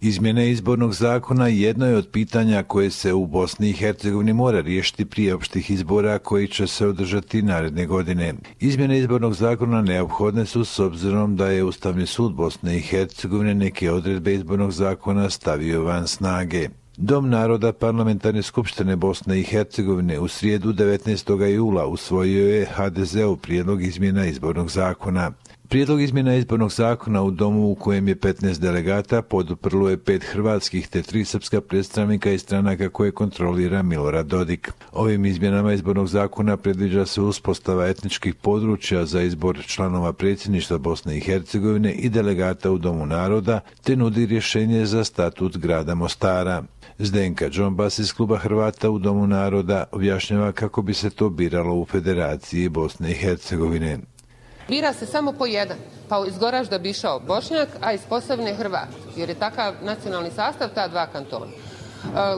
Izmjene izbornog zakona jedno je od pitanja koje se u Bosni i Hercegovini mora riješiti prije opštih izbora koji će se održati naredne godine. Izmjene izbornog zakona neophodne su s obzirom da je Ustavni sud Bosne i Hercegovine neke odredbe izbornog zakona stavio van snage. Dom naroda Parlamentarne skupštine Bosne i Hercegovine u srijedu 19. jula usvojio je HDZ-ov prijedlog izmjena izbornog zakona. Prijedlog izmjena izbornog zakona u domu u kojem je 15 delegata poduprlo je 5 hrvatskih te 3 srpska predstavnika iz stranaka koje kontrolira Milorad Dodik. Ovim izmjenama izbornog zakona predviđa se uspostava etničkih područja za izbor članova predsjedništva Bosne i Hercegovine i delegata u Domu naroda, te nudi rješenje za statut grada Mostara. Zdenka Džombas iz kluba Hrvata u Domu naroda objašnjava kako bi se to biralo u Federaciji Bosne i Hercegovine. Bira se samo po jedan, pa iz Goražda bi išao Bošnjak, a iz Posavine Hrvat, jer je takav nacionalni sastav ta dva kantona.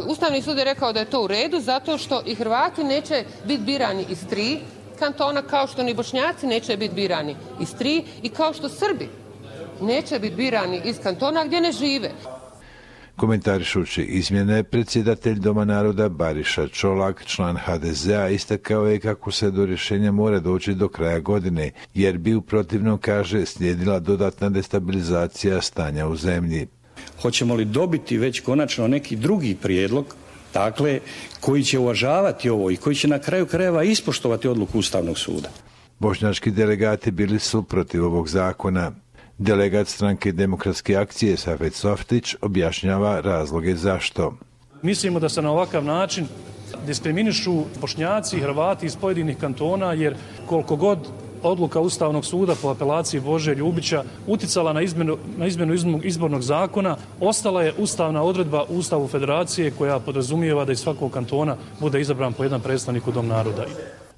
Ustavni sud je rekao da je to u redu zato što i Hrvati neće biti birani iz 3 kantona, kao što ni Bošnjaci neće biti birani iz 3 i kao što Srbi neće biti birani iz kantona gdje ne žive. Komentarišući izmjene, predsjedatelj Doma naroda Bariša Čolak, član HDZ-a, istakao je kako se do rješenja mora doći do kraja godine, jer bi u protivnom, kaže, slijedila dodatna destabilizacija stanja u zemlji. Hoćemo li dobiti već konačno neki drugi prijedlog, dakle, koji će uvažavati ovo i koji će na kraju krajeva ispoštovati odluku Ustavnog suda? Bošnjački delegati bili su protiv ovog zakona. Delegat stranke Demokratske akcije Safet Softić objašnjava razloge zašto. Mislimo da se na ovakav način diskriminišu Bošnjaci i Hrvati iz pojedinih kantona, jer koliko god odluka Ustavnog suda po apelaciji Bože Ljubića uticala na izmjenu izbornog zakona, ostala je ustavna odredba u Ustavu Federacije koja podrazumijeva da iz svakog kantona bude izabran po jedan predstavnik u Dom naroda.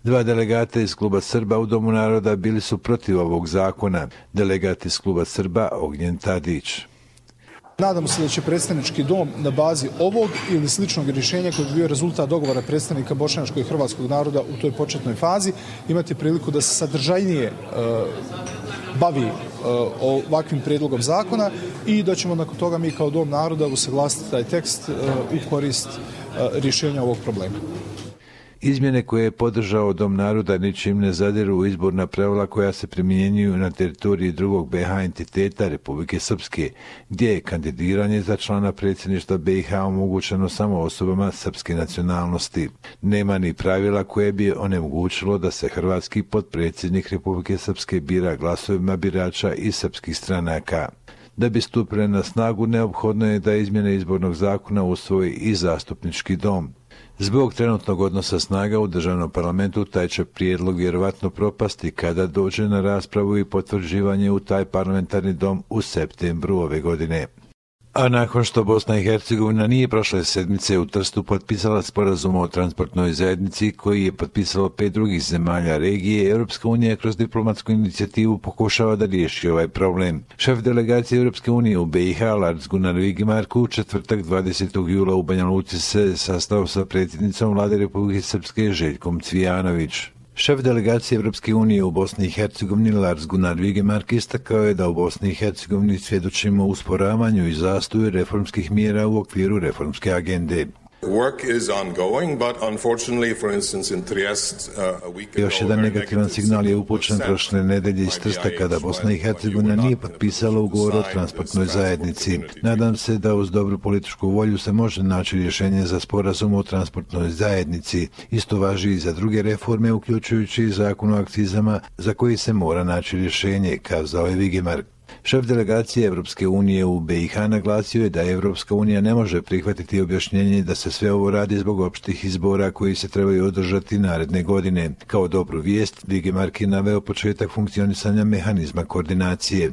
2 delegata iz kluba Srba u Domu naroda bili su protiv ovog zakona. Delegat iz kluba Srba Ognjen Tadić. Nadamo se da će predstavnički dom na bazi ovog ili sličnog rješenja koji bi bio rezultat dogovora predstavnika bošnjačkog i hrvatskog naroda u toj početnoj fazi imati priliku da se sadržajnije bavi ovakvim prijedlogom zakona i da ćemo nakon toga mi kao Dom naroda usaglasiti taj tekst u korist rješenja ovog problema. Izmjene koje je podržao Dom naroda ničim ne zadiru u izborna pravila koja se primjenjuju na teritoriji drugog BiH entiteta Republike Srpske, gdje je kandidiranje za člana predsjedništva BiH omogućeno samo osobama srpske nacionalnosti. Nema ni pravila koje bi onemogućilo da se hrvatski potpredsjednik Republike Srpske bira glasovima birača iz srpskih stranaka. Da bi stupile na snagu, neophodno je da izmjene izbornog zakona usvoji i zastupnički dom. Zbog trenutnog odnosa snaga u državnom parlamentu taj će prijedlog vjerovatno propasti kada dođe na raspravu i potvrđivanje u taj parlamentarni dom u septembru ove godine. A nakon što Bosna i Hercegovina nije prošle sedmice u Trstu potpisala sporazum o transportnoj zajednici koji je potpisalo 5 drugih zemalja regije, Europska unija kroz diplomatsku inicijativu pokušava da riješi ovaj problem. Šef delegacije Europske unije u BiH Lars Gunnar Vigemark u četvrtak 20. jula u Banja Luci se sastao sa predsjednicom vlade Republike Srpske Željkom Cvijanović. Šef delegacije Europske unije u Bosni i Hercegovini Lars Gunnar Vigemark istakao je da u Bosni i Hercegovini svjedočimo usporavanju i zastoju reformskih mjera u okviru reformske agende. Još jedan negativan signal je upućen prošle nedelje iz Trsta kada Bosna i Hercegovina nije potpisala ugovor o transportnoj zajednici. Nadam se da uz dobru političku volju se može naći rješenje za sporazum o transportnoj zajednici. Isto važi i za druge reforme, uključujući zakon o akcizama za koji se mora naći rješenje, kazao je Vigemark. Šef delegacije Europske unije u BiH naglasio je da Europska unija ne može prihvatiti objašnjenje da se sve ovo radi zbog opštih izbora koji se trebaju održati naredne godine. Kao dobru vijest, Vigemark je naveo početak funkcionisanja mehanizma koordinacije.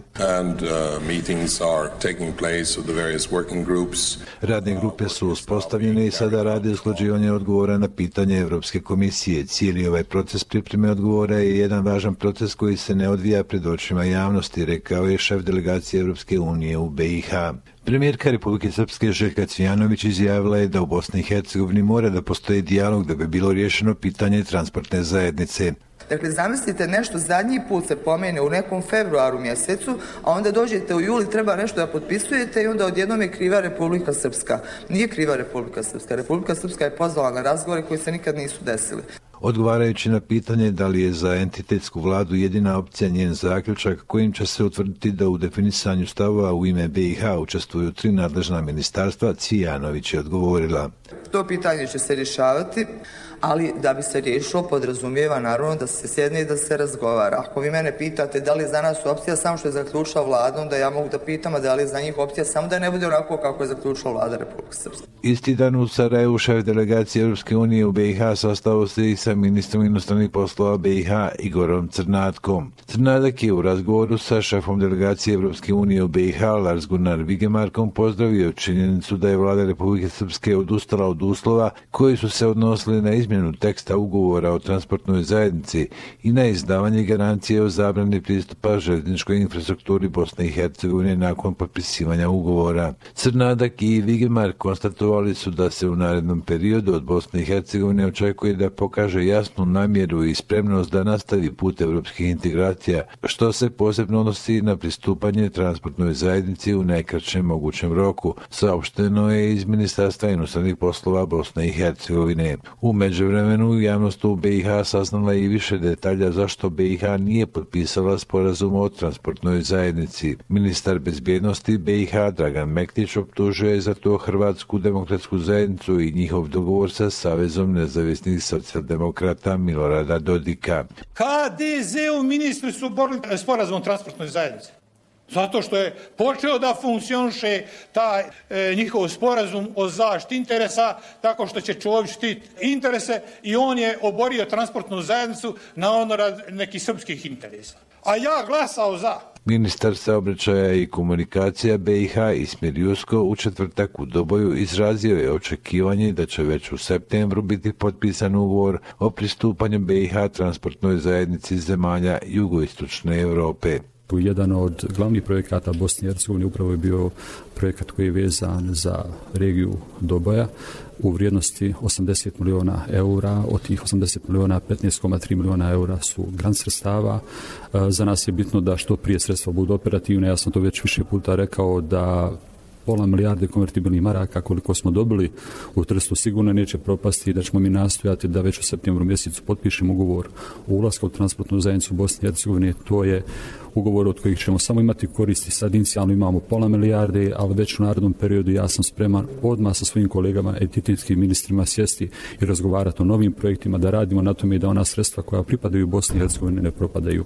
Radne grupe su uspostavljene i sada rade usklađivanje odgovora na pitanje Europske komisije. Cijeli ovaj proces pripreme odgovora je jedan važan proces koji se ne odvija pred očima javnosti, rekao je šef šef delegacije Europske unije u BiH. Premijerka Republike Srpske Željka Cvijanović izjavila je da u Bosni i Hercegovini mora da postoji dijalog da bi bilo riješeno pitanje transportne zajednice. Dakle, zamislite, nešto zadnji put se pomene u nekom februaru mjesecu, a onda dođete u juli, treba nešto da potpisujete i onda odjednom je kriva Republika Srpska. Nije kriva Republika Srpska. Republika Srpska je pozvala na razgovore koji se nikad nisu desili. Odgovarajući na pitanje da li je za entitetsku vladu jedina opcija njen zaključak kojim će se utvrditi da u definisanju stavova u ime BiH učestvuju 3 nadležna ministarstva, Cvijanović je odgovorila. To pitanje će se rješavati, ali da bi se riješilo podrazumijeva naravno da se sjedne i da se razgovara. Ako vi mene pitate da li je za nas opcija samo što je zaključila vlada, onda ja mogu da pitam da li je za njih opcija samo da ne bude onako kako je zaključila vlada Republike Srpske. Isti dan u Sarajevu šef delegacije Europske unije u BiH sastao se i sa ministrom inostranih poslova BiH Igorom Crnatkom. Crnadak je u razgovoru sa šefom delegacije Europske unije u BiH Lars Gunnar Vigemarkom pozdravio činjenicu da je vlada Republike Srpske odustala od uslova koji su se odnosili na izmjenu teksta ugovora o transportnoj zajednici i na izdavanje garancije o zabrani pristupa željezničkoj infrastrukturi Bosne i Hercegovine nakon potpisivanja ugovora. Crnadak i Vigemark konstatovali su da se u narednom periodu od Bosne i Hercegovine očekuje da pokaže jasnu namjeru i spremnost da nastavi put evropskih integracija, što se posebno odnosi na pristupanje transportnoj zajednici u najkraćem mogućem roku, saopšteno je iz Ministarstva inostranih poslova Bosne i Hercegovine. U međuvremenu javnost u BiH saznala i više detalja zašto BiH nije potpisala sporazum o transportnoj zajednici. Ministar bezbjednosti BiH Dragan Mektić optužuje za to Hrvatsku demokratsku zajednicu i njihov dogovor sa Savezom nezavisnih socijaldemokrata Milorada Dodika. HDZ-u ministri su borili sporazum o transportnoj zajednici. Zato što je počeo da funkcioniše taj njihov sporazum o zaštiti interesa, tako što će Čović štiti interese i on je oborio transportnu zajednicu na onorad nekih srpskih interesa. A ja glasao za. Ministar saobraćaja i komunikacija BiH Ismir Jusko u četvrtak u Doboju izrazio je očekivanje da će već u septembru biti potpisan ugovor o pristupanju BiH transportnoj zajednici zemalja jugoistočne Europe. Jedan od glavnih projekata Bosne i Hercegovine upravo je bio projekat koji je vezan za regiju Doboja u vrijednosti 80 milijuna eura. Od tih 80 milijuna, 15,3 milijuna eura su grant sredstava. Za nas je bitno da što prije sredstva budu operativne. Ja sam to već više puta rekao da pola milijarde konvertibilnih maraka koliko smo dobili u Trstu sigurno neće propasti i da ćemo mi nastojati da već u septembru mjesecu potpišemo ugovor o ulasku u transportnu zajednicu Bosne i Hercegovine. To je ugovor od kojih ćemo samo imati koristi. Sad inicijalno imamo pola milijarde, ali već u narednom periodu ja sam spreman odmah sa svojim kolegama, entitetskim ministrima sjesti i razgovarati o novim projektima, da radimo na tome i da ona sredstva koja pripadaju Bosni i Hercegovini ne propadaju.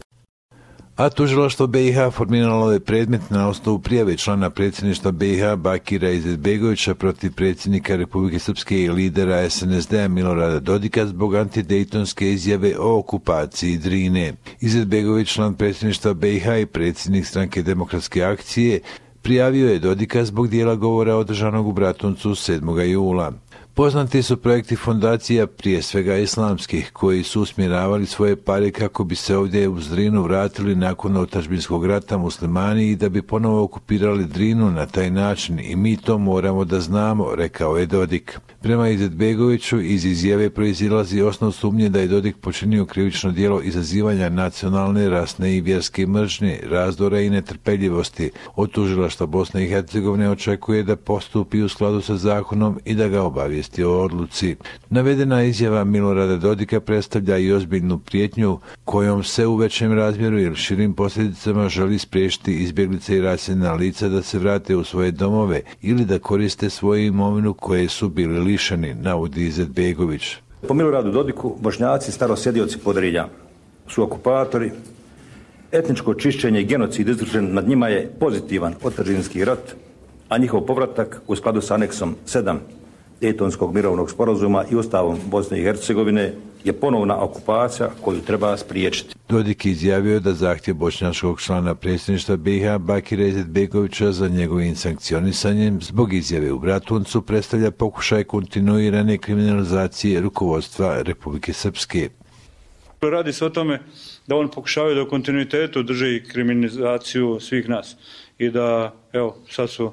A tužilaštvo BiH formiralo je predmet na osnovu prijave člana predsjedništva BiH Bakira Izetbegovića protiv predsjednika Republike Srpske i lidera SNSD-a Milorada Dodika zbog antidejtonske izjave o okupaciji Drine. Izetbegović, član predsjedništva BiH i predsjednik Stranke demokratske akcije, prijavio je Dodika zbog dijela govora održanog u Bratuncu 7. jula. Poznati su projekti fondacija, prije svega islamskih, koji su usmjeravali svoje pare kako bi se ovdje uz Drinu vratili nakon otadžbinskog rata muslimani i da bi ponovo okupirali Drinu na taj način i mi to moramo da znamo, rekao je Dodik. Prema Izetbegoviću iz izjave proizilazi osnov sumnje da je Dodik počinio krivično djelo izazivanja nacionalne, rasne i vjerske mržnje, razdora i netrpeljivosti. Od tužilaštva Bosne i Hercegovine očekuje da postupi u skladu sa zakonom i da ga obavijesti o odluci. Navedena izjava Milorada Dodika predstavlja i ozbiljnu prijetnju kojom se u većem razmjeru ili širim posljedicama želi spriječiti izbjeglice i raseljena lica da se vrate u svoje domove ili da koriste svoju imovinu koje su bili lišeni, navodi Izetbegović. Po Miloradu Dodiku, Bošnjaci starosjedioci Podrinja su okupatori. Etničko čišćenje i genocid izvršen nad njima je pozitivan otadžbinski rat, a njihov povratak u skladu s aneksom 7 Dejtonskog mirovnog sporazuma i Ustavom Bosne i Hercegovine je ponovna okupacija koju treba spriječiti. Dodik izjavio da zahtjev bošnjačkog člana predsjedništva BiH Bakira Izetbegovića za njegovim sankcionisanjem zbog izjave u Bratuncu predstavlja pokušaj kontinuirane kriminalizacije rukovodstva Republike Srpske. Radi se o tome da on pokušavaju da u kontinuitetu drži kriminalizaciju svih nas i da, evo, sad su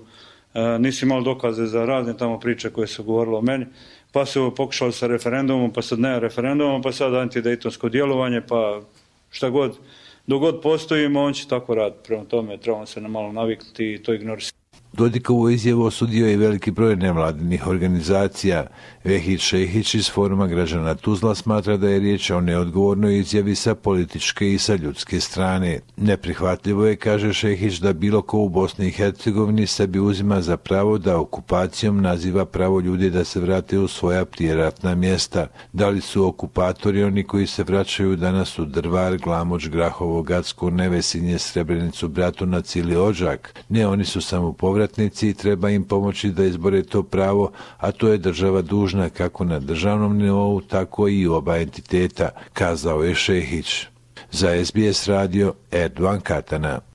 nisi imali dokaze za razne tamo priče koje su govorile o meni, pa su pokušali sa referendumom, pa sad ne referendumom, pa sad antidejtonsko djelovanje, pa šta god, dok god postojimo, on će tako raditi. Prema tome, trebamo se malo naviknuti i to ignorisati. Dodikovu izjavu osudio je veliki broj nevladinih organizacija. Vehid Šehić iz Foruma građana Tuzla smatra da je riječ o neodgovornoj izjavi sa političke i sa ljudske strane. Neprihvatljivo je, kaže Šehić, da bilo ko u Bosni i Hercegovini sebi uzima za pravo da okupacijom naziva pravo ljudi da se vrate u svoja prijeratna mjesta. Da li su okupatori oni koji se vraćaju danas u Drvar, Glamoč, Grahovo, Gacko, Nevesinje, Srebrenicu, Bratunac ili Odžak? Ne, oni su samo povratnici i treba im pomoći da izbore to pravo, a to je država dužna kako na državnom nivou, tako i oba entiteta, kazao je Šehić. Za SBS radio Erdogan Katana.